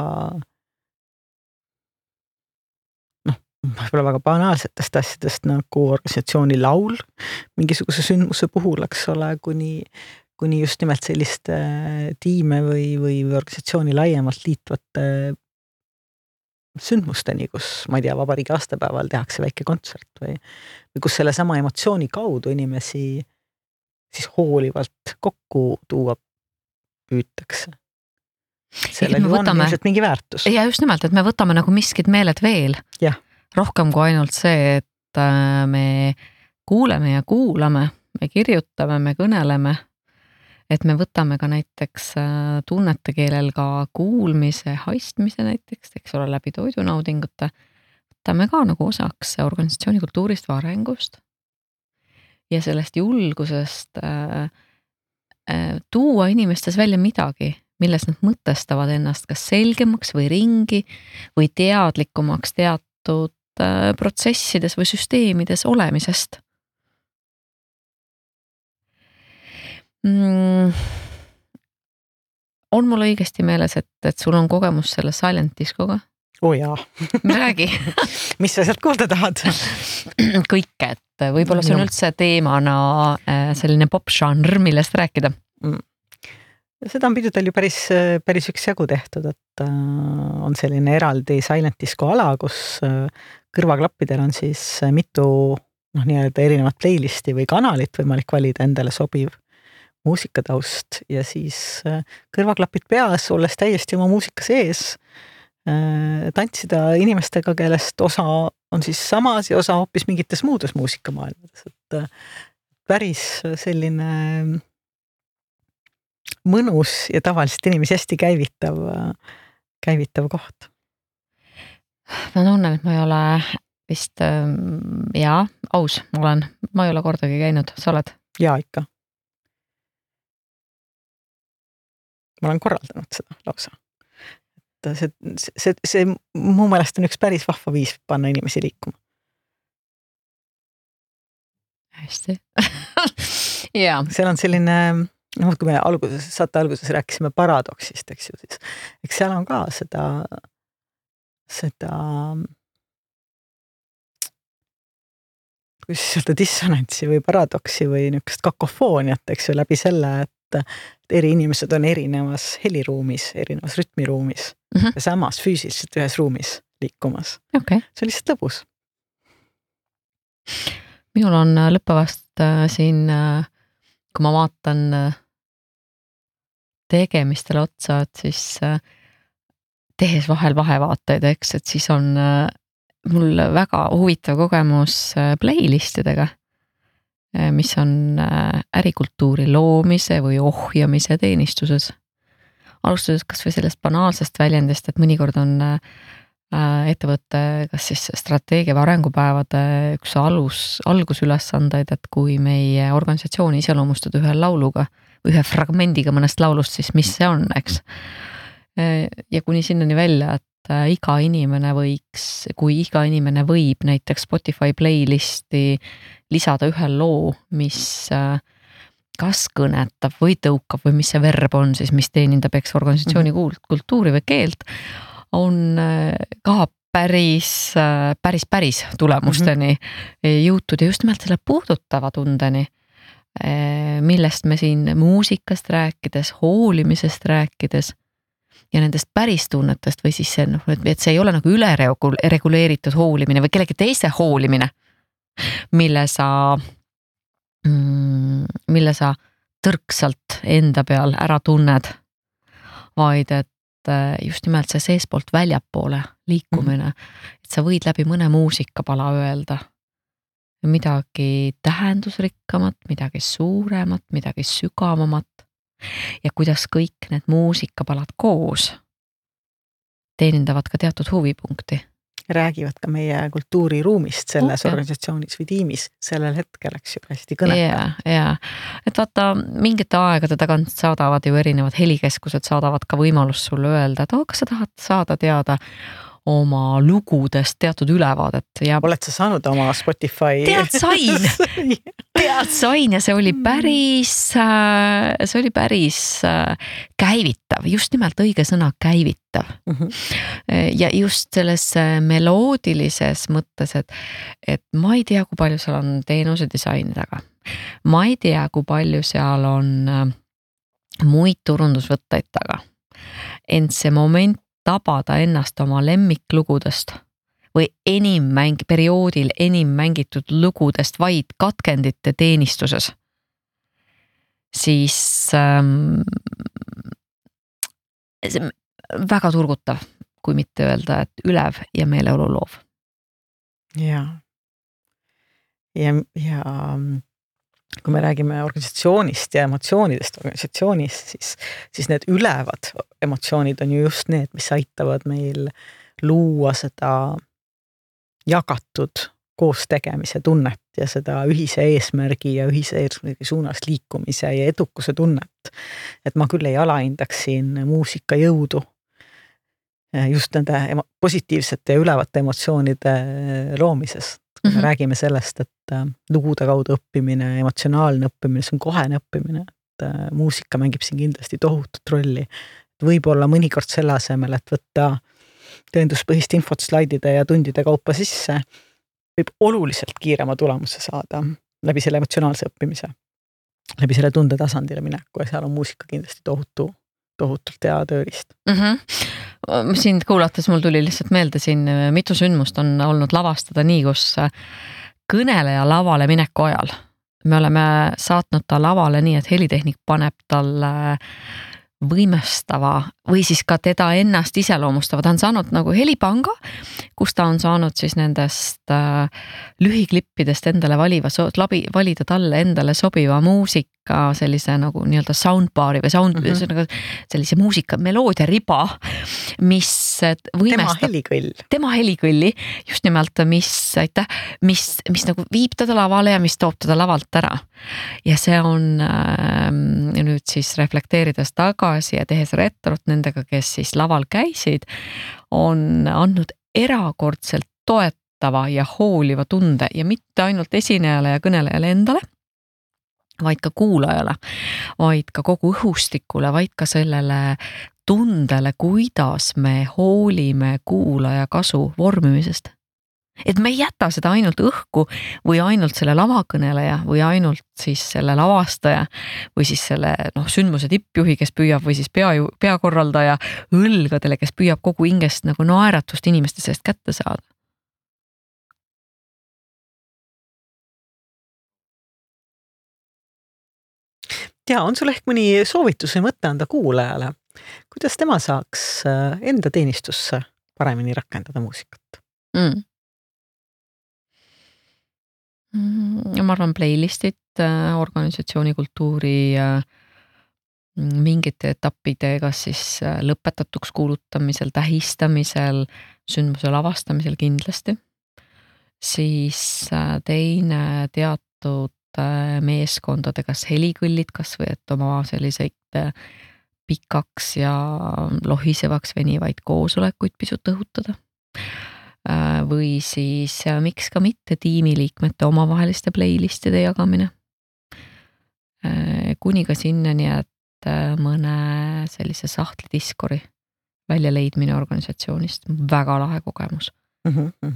võib-olla väga banaalsetest asjadest nagu organisatsiooni laul mingisuguse sündmuse puhul, eks ole, kuni just nimelt selliste tiime või organisatsiooni laiemalt liitvate sündmusteni, kus, ma ei tea, vabariigi aastapäeval tehakse väike kontsert või kus selle sama emotsiooni kaudu inimesi siis hoolivalt kokku tuua püütakse. Sellel on ilmselt mingi väärtus. Ja just nimelt, et me võtame nagu miskid meeled veel. Jah. Rohkem kui ainult see, et me kuuleme ja kuulame, me kirjutame, me kõneleme, et me võtame ka näiteks tunnete keelel ka kuulmise, haistmise näiteks, eks ole, läbi toidunaudingute, võtame ka nagu osaks organisatsiooni kultuurist või arengust. Ja sellest julgusest tuua inimestes välja midagi, milles nad mõtestavad ennast kas selgemaks või ringi või teadlikumaks teatud protsessides või süsteemides olemisest. On mul õigesti meeles, et sul on kogemus selle silent discoga? Jaa. Räägi. Mis sa sealt kuulda tahad? Kõike, et võib-olla see on üldse teemana selline pop-žanr, millest rääkida. Seda on pidudel ju päris üksjagu tehtud, et on selline eraldi silent disco ala, kus kõrvaklappidel on siis mitu nii-öelda erinevat playlisti või kanalit võimalik valida endale sobiv muusikataust ja siis kõrvaklapid peas, olles täiesti oma muusika sees, tantsida inimestega, kellest osa on siis samas ja osa hoopis mingites muudes muusikamaailmades. Et päris selline mõnus ja tavaliselt inimesi hästi käivitav koht. Ma tunnen, et ma ei ole vist, aus olen. Ma ei ole kordagi käinud, sa oled? Jaa, ikka. Ma olen korraldanud seda lausa. See mu meelest on üks päris vahva viis panna inimesi liikuma. Hästi. Jaa. Seal on selline, kui me saate alguses rääkisime paradoksist, eks ju, siis eks seal on ka seda kuidas öelda dissonantsi või paradoksi või niisugust kakofooniat, eks ju, läbi selle, et eri inimesed on erinevas heliruumis, erinevas rütmiruumis ja samas füüsiliselt ühes ruumis liikumas. Okay. See on lihtsalt lõbus. Minul on lõppevast siin, kui ma vaatan tegemistele otsa, et siis tehes vahel vahevaateid, eks, et siis on mul väga huvitav kogemus playlistidega, mis on ärikultuuri loomise või ohjamise teenistuses. Alustades kas või sellest banaalsest väljendist, et mõnikord on ettevõtte kas siis strateegia või arengupäevade üks algusülesandeid, et kui meie organisatsiooni iseloomustada ühe lauluga või ühe fragmendiga mõnest laulust, siis mis see on, eks. Ja kuni sinnani välja, et iga inimene võib näiteks Spotify playlisti lisada ühe loo, mis kas kõnetab või tõukab või mis see verb on siis, mis teenindab eks organisatsiooni kultuuri või keelt, on ka päris tulemusteni jõutud ja just nimelt selle puudutava tundeni, millest me siin muusikast rääkides, hoolimisest rääkides ja nendest päris tunnetest või siis see, et see ei ole nagu üle reguleeritud hoolimine või kellegi teise hoolimine, mille sa tõrksalt enda peal ära tunned, vaid et just nimelt see seespoolt väljapoole liikumine, et sa võid läbi mõne muusikapala öelda midagi tähendusrikkamat, midagi suuremat, midagi sügavamat ja kuidas kõik need muusikapalad koos teenindavad ka teatud huvipunkti. Räägivad ka meie kultuuriruumist selles organisatsioonis või tiimis sellel hetkel, eks ju, hästi kõnetav. Ja, et vaata, mingite aegade tagant saadavad ju erinevad helikeskused, saadavad ka võimalus sulle öelda, et kas sa tahad saada teada oma lugudest teatud ülevaadet. Ja oled sa saanud oma Spotify? Tead sain ja see oli päris käivitav, just nimelt õige sõna käivitav. Ja just selles meloodilises mõttes, et ma ei tea, kui palju seal on teenuse disaini taga. Ma ei tea, kui palju seal on muid turundusvõtteid taga. Ent see moment tabada ennast oma lemmiklugudest või perioodil enim mängitud lugudest vaid katkendite teenistuses, siis väga turgutav, kui mitte öelda, et ülev ja meeleolu loov. Ja kui me räägime organisatsioonist ja emotsioonidest organisatsioonis, siis need ülevad emotsioonid on ju just need, mis aitavad meil luua seda jagatud koostegemise tunnet ja seda ühise eesmärgi ja ühise eesmärgi suunas liikumise ja edukuse tunnet. Et ma küll ei alahindaks siin muusika jõudu just nende positiivsete ja ülevate emotsioonide loomises. Kui me räägime sellest, et lugude kaudu õppimine, emotsionaalne õppimine, see on kohene õppimine, et muusika mängib siin kindlasti tohutut rolli. Võib-olla mõnikord selle asemel, et võtta tõenduspõhist infot slaidide ja tundide kaupa sisse, võib oluliselt kiirema tulemuse saada läbi selle emotsionaalse õppimise, läbi selle tundetasandile mineku ja seal on muusika kindlasti tohutult hea tööriist. Sind kuulates mul tuli lihtsalt meelde siin mitu sündmust on olnud lavastada nii, kus kõneleja lavale mineku ajal. Me oleme saatnud ta lavale nii, et helitehnik paneb talle võimestava või siis ka teda ennast iseloomustava. Ta on saanud nagu helipanga, kus ta on saanud siis nendest lühiklippidest endale valida talle endale sobiva muusika, sellise nagu nii-öelda soundbaari või sellise muusika meloodia riba, mis võimestab tema helikõlli, just nimelt, mis nagu viib teda lavale ja mis toob teda lavalt ära. Ja see on nüüd siis reflekteerides tagasi ja tehes retrot nendega, kes siis laval käisid, on andnud erakordselt toetava ja hooliva tunde ja mitte ainult esinejale ja kõnelejale endale, vaid ka kuulajale, vaid ka kogu õhustikule, vaid ka sellele tundele, kuidas me hoolime kuulaja kasu vormimisest. Et me ei jäta seda ainult õhku või ainult selle lavakõneleja või ainult siis selle lavastaja või siis selle sündmuse tippjuhi, kes püüab või siis peakorraldaja õlgadele, kes püüab kogu hingest nagu naeratust inimeste seest kätte saada. Ja, on sul ehk mõni soovitus või mõtte anda kuulajale? Kuidas tema saaks enda teenistusse paremini rakendada muusikat? Ma arvan playlistid, organisatsiooni kultuuri mingite etappide, kas siis lõpetatuks kuulutamisel, tähistamisel, sündmuse lavastamisel kindlasti. Siis teine teatud meeskondade, kas helikõllid, kas või et oma selliseid pikaks ja lohisevaks venivaid koosolekuid pisut õhutada. Või siis miks ka mitte tiimiliikmete omavaheliste playlistide jagamine. Kuni ka sinnani, et mõne sellise sahtli Discordi välja leidmine organisatsioonist. Väga lahe kogemus.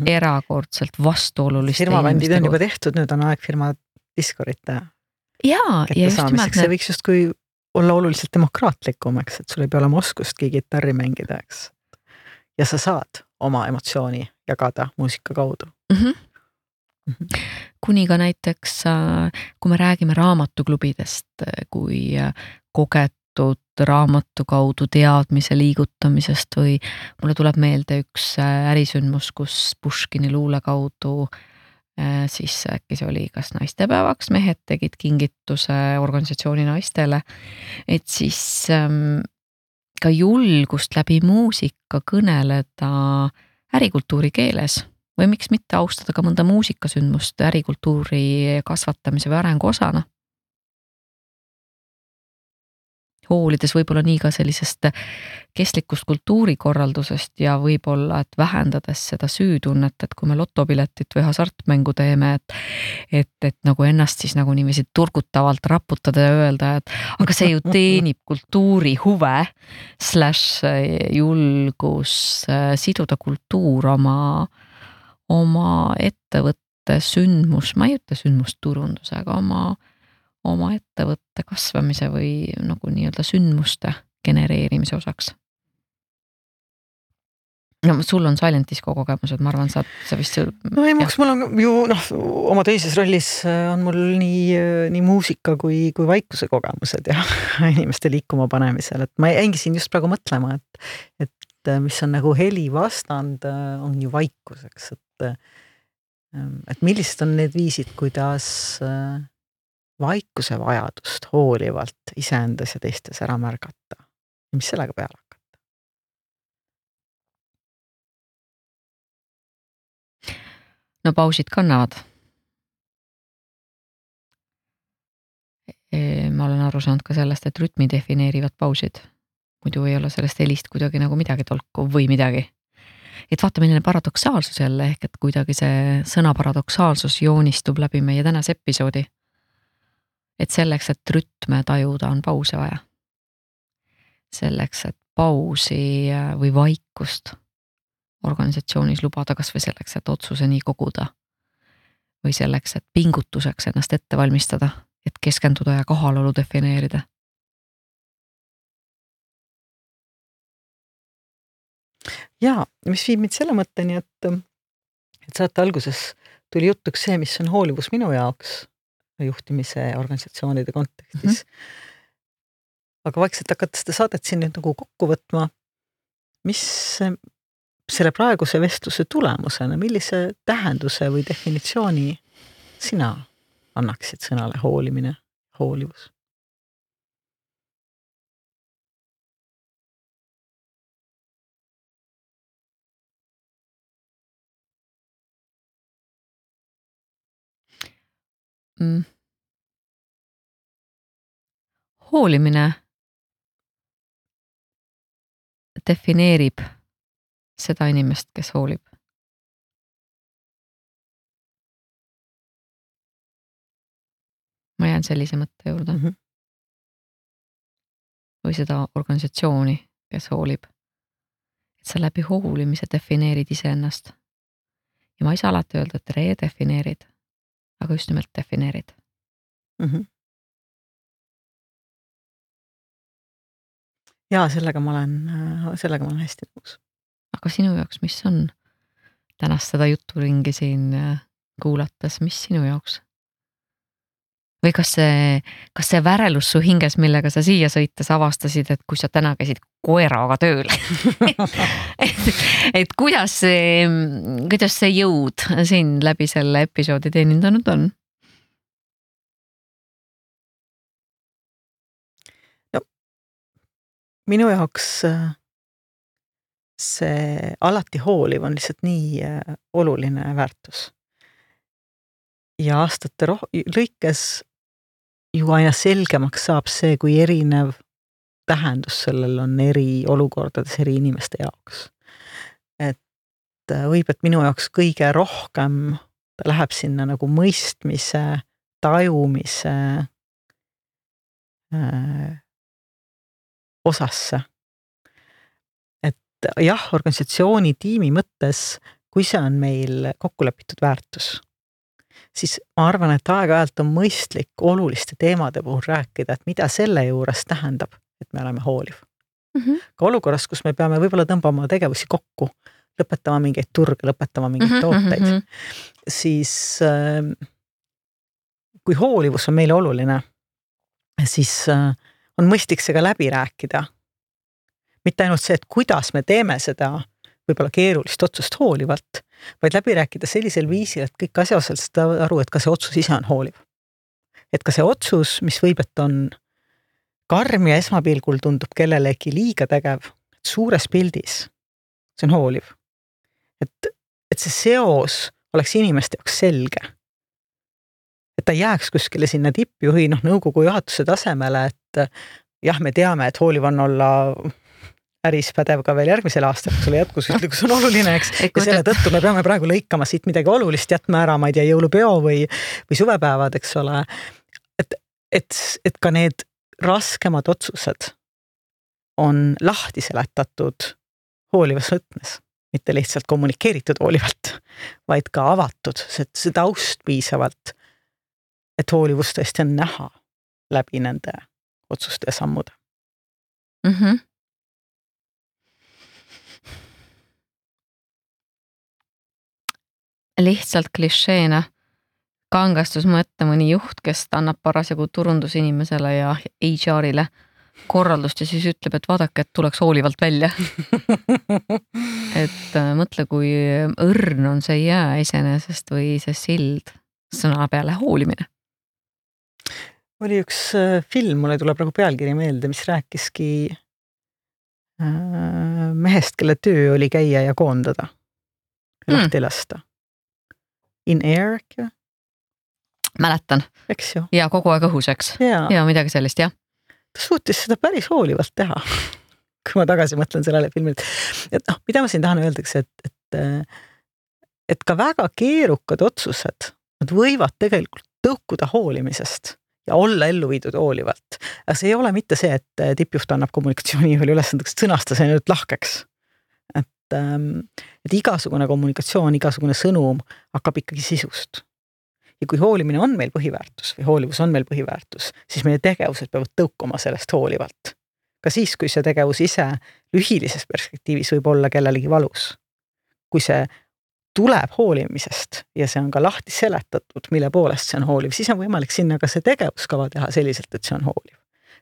Erakordselt vastuoluliste firmabändid on juba tehtud, nüüd on aeg firma Discordit kättesaamiseks. See võiks just kui olla oluliselt demokraatlikum, eks, et sul ei pea olema oskustki kitarri mängida, eks. Ja sa saad oma emotsiooni jagada muusika kaudu. Kuni ka näiteks, kui me räägime raamatuklubidest, kui kogetud raamatu kaudu teadmise liigutamisest või mulle tuleb meelde üks ärisündmus, kus Puškini luule kaudu siis äkki see oli kas naistepäevaks, mehed tegid kingituse organisatsiooni naistele, et siis ka julgust läbi muusika kõneleda ärikultuuri keeles või miks mitte austada ka mõnda muusikasündmust ärikultuuri kasvatamise või arengu osana. Hoolides võib-olla nii ka sellisest kestlikust kultuurikorraldusest ja võib-olla, et vähendades seda süütunnet, et kui me lotopiletit või hasartmängu teeme, et nagu ennast siis nagu niiviisi turgutavalt raputada ja öelda, et aga see ju teenib kultuuri huve / julgus siduda kultuur oma ettevõtte sündmus, ma ei ütle sündmusturunduse, aga oma ettevõtte kasvamise või nagu nii-öelda sündmuste genereerimise osaks. No sul on Silent Disco kogemused, ma arvan, sa vist... No ei, mul on ju, oma teises rollis on mul nii muusika kui vaikuse kogemused ja inimeste liikuma panemisel, et ma jäingi siin just praegu mõtlema, et mis on nagu heli vastand, on ju vaikuseks, et millised on need viisid, kuidas vaikuse vajadust hoolivalt iseendas ja teistes ära märgata. Ja mis sellega peale hakata? No pausid kannavad. Ma olen aru saanud ka sellest, et rütmi defineerivad pausid. Muidu ei ole sellest helist kuidagi nagu midagi tolku või midagi. Et vaata milline paradoksaalsus jälle ehk, et kuidagi see sõna paradoksaalsus joonistub läbi meie tänase episoodi. Et selleks, et rütme tajuda, on pause vaja. Selleks, et pausi või vaikust organisatsioonis lubada, kas või selleks, et otsuseni koguda. Või selleks, et pingutuseks ennast ette valmistada, et keskenduda ja kohalolu defineerida. Ja, mis viib mind selle mõtteni, et saate alguses tuli jutuks see, mis on hoolivus minu jaoks juhtimise organisatsioonide kontekstis. Aga vaikselt hakata seda saadet siin nüüd nagu kokku võtma, mis selle praeguse vestluse tulemusena, millise tähenduse või definitsiooni sina annaksid sõnale hoolimine, hoolivus? Hoolimine defineerib seda inimest, kes hoolib. Ma jään sellise mõtte juurde. Või seda organisatsiooni, kes hoolib. Et sa läbi hoolimise defineerid iseennast. ja ma ei saa alati öelda, et redefineerid, aga just nimelt defineerid. Ja sellega ma olen hästi nõus. Aga sinu jaoks, mis on tänast seda juturingi siin kuulates, mis sinu jaoks? Või kas see värelus su hinges, millega sa siia sõites avastasid, et kui sa täna käisid koeraga tööl, et kuidas see jõud siin läbi selle episoodi teenindanud on? No, minu jaoks see alati hooliv on lihtsalt nii oluline väärtus. Ja aastate lõikes ju aina selgemaks saab see, kui erinev tähendus sellel on eri olukordades eri inimeste jaoks. Et võib, et minu jaoks kõige rohkem ta läheb sinna nagu mõistmise, tajumise osasse. Et jah, organisatsiooni tiimi mõttes, kui see on meil kokkulepitud väärtus, siis ma arvan, et aeg-ajalt on mõistlik oluliste teemade puhul rääkida, et mida selle juures tähendab, et me oleme hooliv. Ka olukorras, kus me peame võib-olla tõmbama tegevusi kokku, lõpetama mingeid turge, lõpetama mingeid tooteid, siis kui hoolivus on meile oluline, siis on mõistlik see ka läbi rääkida. Mitte ainult see, et kuidas me teeme seda võib-olla keerulist otsust hoolivalt, vaid läbi rääkida sellisel viisil, et kõik asjaosalised saavad aru, et ka see otsus ise on hooliv. Et ka see otsus, mis võib, et on karm ja esmapilgul tundub kellelegi liiga tegev, et suures pildis see on hooliv. Et see seos oleks inimeste jaoks selge. Et ta jääks kuskile sinna tippjuhi, nõukogu juhatuse tasemele, et jah, me teame, et hooliv on olla äris pädev ka veel järgmisel aastal, kui sulle jätkusuutlikkus on oluline, eks. Ja selle tõttu me peame praegu lõikama siit midagi olulist, jätma ära, ma ei tea, jõulupeo või suvepäevad, eks ole. Et ka need raskemad otsused on lahti seletatud hoolivas võtmes, mitte lihtsalt kommunikeeritud hoolivalt, vaid ka avatud, see taust piisavalt, et hoolivust tõesti on näha läbi nende otsuste ja sammude. Lihtsalt klišeena kangastus mõtte mõni juht, kes annab parasjagu turundusinimesele ja HR-ile korraldust ja siis ütleb, et vaadake, et tuleks hoolivalt välja. Et mõtle, kui õrn on see jää iseenesest või see sild sõna peale hoolimine. Oli üks film, mulle tuleb praegu pealkiri meelde, mis rääkiski mehest, kelle töö oli käia ja koondada. Lahti lasta. In Air äkki? Mäletan. Eks ju. Ja kogu aeg õhuseks. Ja midagi sellist, jah. Ta suutis seda päris hoolivalt teha, kui ma tagasi mõtlen sellele filmile. Et mida ma siin tahan öeldaks, et ka väga keerukad otsused, nad võivad tegelikult tõukuda hoolimisest ja olla ellu viidud hoolivalt. Aga see ei ole mitte see, et tippjuht annab kommunikatsioonijuhile ülesandeks sõnasta see nüüd lahkeks. Et igasugune kommunikatsioon, igasugune sõnum hakkab ikkagi sisust. Ja kui hoolimine on meil põhiväärtus või hoolivus on meil põhiväärtus, siis meie tegevused peavad tõukuma sellest hoolivalt. Ka siis, kui see tegevus ise lühilises perspektiivis võib olla kellelegi valus. Kui see tuleb hoolimisest ja see on ka lahti seletatud, mille poolest see on hooliv, siis on võimalik sinna ka see tegevuskava teha selliselt, et see on hooliv.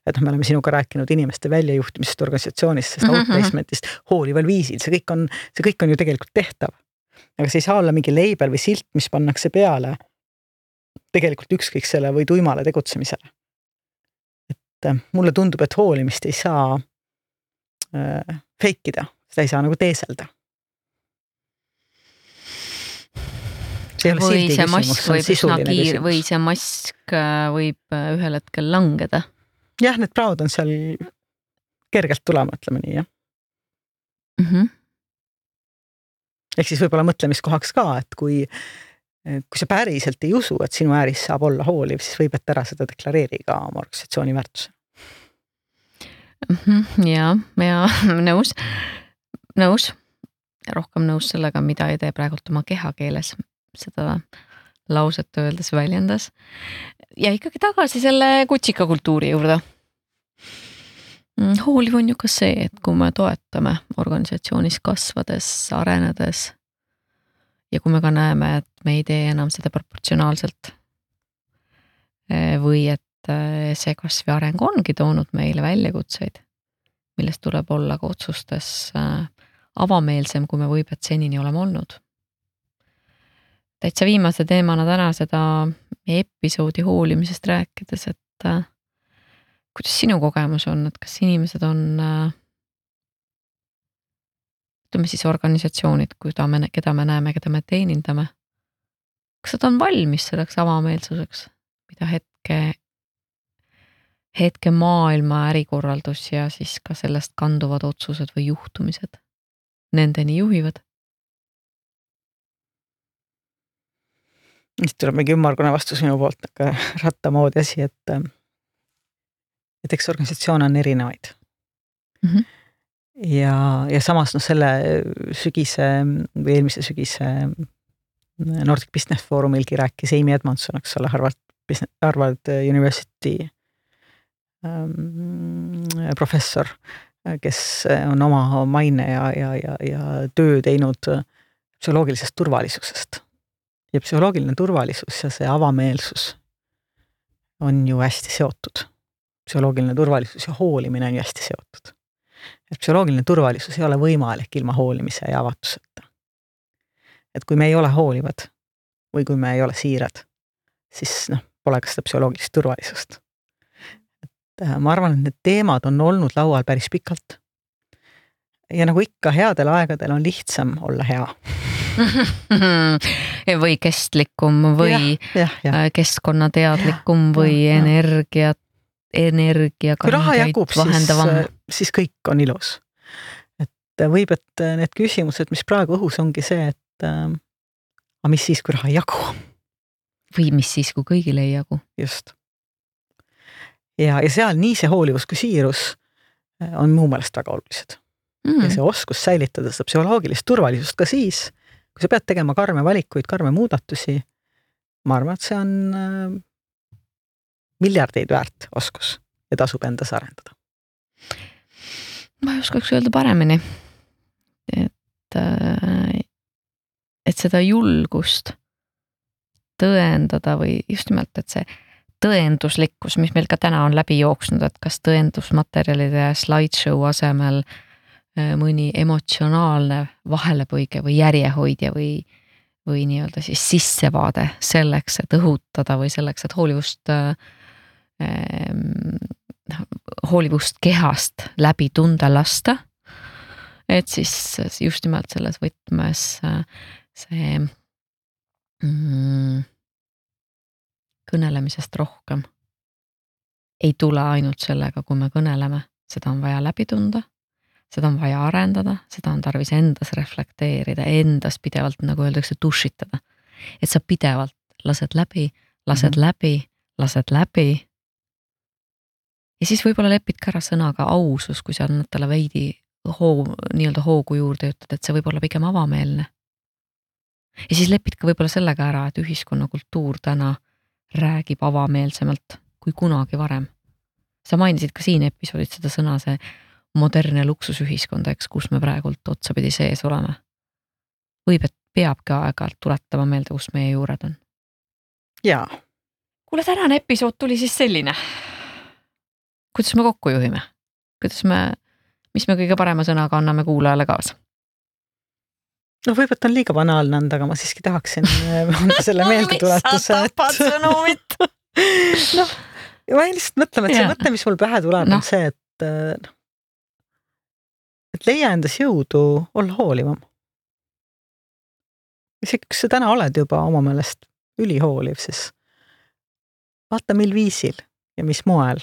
Et me oleme sinuga rääkinud inimeste väljajuhtimisest organisatsioonist, sest outplacementist hoolival viisil, see kõik on ju tegelikult tehtav. Aga see ei saa olla mingi leibel või silt, mis pannakse peale tegelikult ükskõik selle või tuimale tegutsemisele. Et mulle tundub, et hoolimist ei saa feikida, seda ei saa nagu teeselda. Või see mask võib sisuline küsimus. Või see mask võib ühel hetkel langeda. Jah, need praod on seal kergelt tulema, ütleme nii, jah. Ehk siis võib-olla mõtlemiskohaks ka, et kui sa päriselt ei usu, et sinu ääris saab olla hooliv, siis võib, et ära seda deklareeri ka oma organisatsiooni väärtuse. Ja nõus. rohkem nõus sellega, mida ei tee praegult oma kehakeeles seda lauset öeldes väljendas. Ja ikkagi tagasi selle kutsikakultuuri juurde. Hooliv on ju ka see, et kui me toetame organisatsioonis kasvades, arenedes ja kui me ka näeme, et me ei tee enam seda proportsionaalselt või et see kasv ja areng ongi toonud meile väljakutseid, millest tuleb olla ka otsustes avameelsem, kui me võibet senini oleme olnud. Täitsa viimase teemana täna seda episoodi hoolimisest rääkides, et kuidas sinu kogemus on, et kas inimesed on, ütleme siis organisatsioonid, keda me näeme, keda me teenindame, kas nad on valmis selleks avameelsuseks, mida hetke maailma ärikorraldus ja siis ka sellest kanduvad otsused või juhtumised nendeni juhivad? Nüüd tuleb mingi ümmargune vastus minu poolt rattamoodi asi, et eks organisatsioon on erinevaid. Ja samas selle sügise või eelmise sügise Nordic Business Forumilgi rääkis Amy Edmondson, eks ole, Harvard University professor, kes on oma maine ja töö teinud psühholoogilisest turvalisusest. Ja psühholoogiline turvalisus ja see avameelsus on ju hästi seotud. Psühholoogiline turvalisus ja hoolimine on ju hästi seotud. Et psühholoogiline turvalisus ei ole võimalik ilma hoolimise ja avatuseta. Et kui me ei ole hoolivad või kui me ei ole siirad, siis pole ka seda psühholoogilist turvalisust. Et ma arvan, et need teemad on olnud laual päris pikalt. Ja nagu ikka headel aegadel on lihtsam olla hea. Või kestlikum või keskkonnateadlikum või kui raha jagub, siis kõik on ilus. Et võib, et need küsimused, mis praegu õhus ongi see, et aga mis siis, kui raha ei jagu? Või mis siis, kui kõigile ei jagu? Just. Ja seal nii see hoolivus kui siirus on muu meelest väga olulised. Ja see oskus säilitada seda psühholoogilist turvalisust ka siis, kui sa pead tegema karme valikuid, karme muudatusi, ma arvan, et see on miljardeid väärt oskus ja tasub endas arendada. Ma ei oskaks öelda paremini, et seda julgust tõendada või just nimelt, et see tõenduslikkus, mis meil ka täna on läbi jooksnud, et kas tõendusmaterjalide slideshow asemel mõni emotsionaalne vahelepõige või järjehoidja või nii-öelda siis sissevaade selleks, et õhutada või selleks, et hoolivust kehast läbi tunda lasta. Et siis just nimelt selles võtmes see kõnelemisest rohkem ei tule ainult sellega, kui me kõneleme, seda on vaja läbi tunda. Seda on vaja arendada, seda on tarvis endas reflekteerida, endas pidevalt, nagu öeldakse, dušitada. Et sa pidevalt lased läbi. Ja siis võib-olla lepid ka ära sõnaga ausus, kui sa annad talle veidi nii-öelda hoogu juurde ütled, et see võib olla pigem avameelne. Ja siis lepid ka võib-olla sellega ära, et ühiskonnakultuur täna räägib avameelsemalt kui kunagi varem. Sa mainisid ka siin episoodid seda sõna, see moderne luksusühiskonda, kus me praegult otsapidi sees oleme. Võib, et peabki aeg-ajalt tuletama meelde, kus meie juured on. Jaa. Kuule, tänane episood tuli siis selline. Kuidas me kokku juhime? Mis me kõige parema sõnaga anname kuulajale kaasa? Võib, et on liiga banaalne anda, aga ma siiski tahaksin anda selle meeldetuletuse. Mis sa tapad sõnumit? Ma lihtsalt mõtlema, et see mõte, mis mul pähe tuleb, on see, et leia endas jõudu olla hoolivam. Isegi, kus sa täna oled juba oma meelest ülihooliv, siis vaata, mil viisil ja mis moel,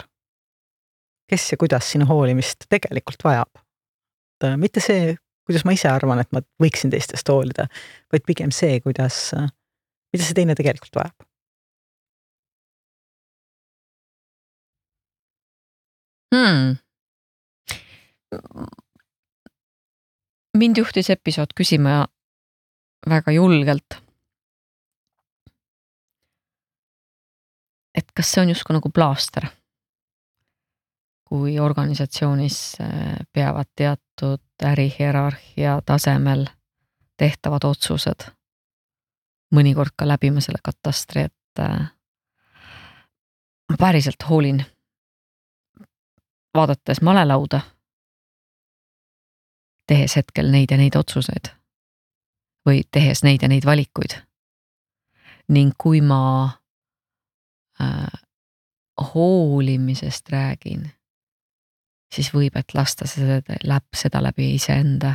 kes ja kuidas sinu hoolimist tegelikult vajab. Mitte see, kuidas ma ise arvan, et ma võiksin teistest hoolida, vaid pigem see, mida see teine tegelikult vajab. mind juhtis episood küsima väga julgelt, et kas see on justkui nagu plaaster, kui organisatsioonis peavad teatud ärihierarhia tasemel tehtavad otsused mõnikord ka läbima selle katastri, et ma päriselt hoolin vaadates malelauda, tehes hetkel neid ja neid otsuseid või tehes neid ja neid valikuid. Ning kui ma hoolimisest räägin, siis võib, et lasta seda läbi iseenda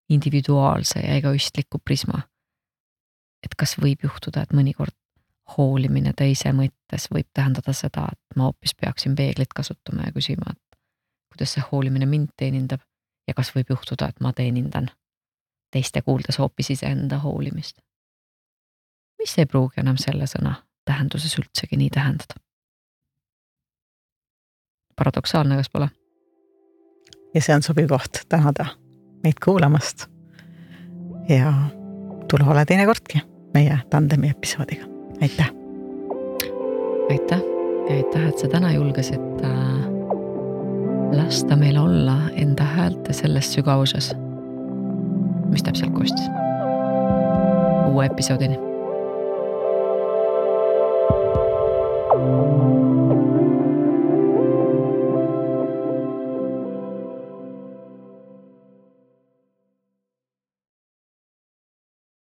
individuaalse ja egoistliku prisma. Et kas võib juhtuda, et mõnikord hoolimine teise mõttes võib tähendada seda, et ma hoopis peaksin peeglit kasutama ja küsima, et kuidas see hoolimine mind teenindab ja kas võib juhtuda, et ma teenindan teiste kuuldes hoopis iseenda hoolimist. Mis ei pruugi enam selle sõna tähenduses üldsegi nii tähendada. Paradoksaalne, kas pole? Ja see on sobiv koht tänada meid kuulamast ja tule ole teine kordki meie tandemi episoodiga. Aitäh! Aitäh ja aitäh, et sa täna julgesid lasta meil olla enda häälte selles sügavuses, mis täpselt kostis. Uue episoodini.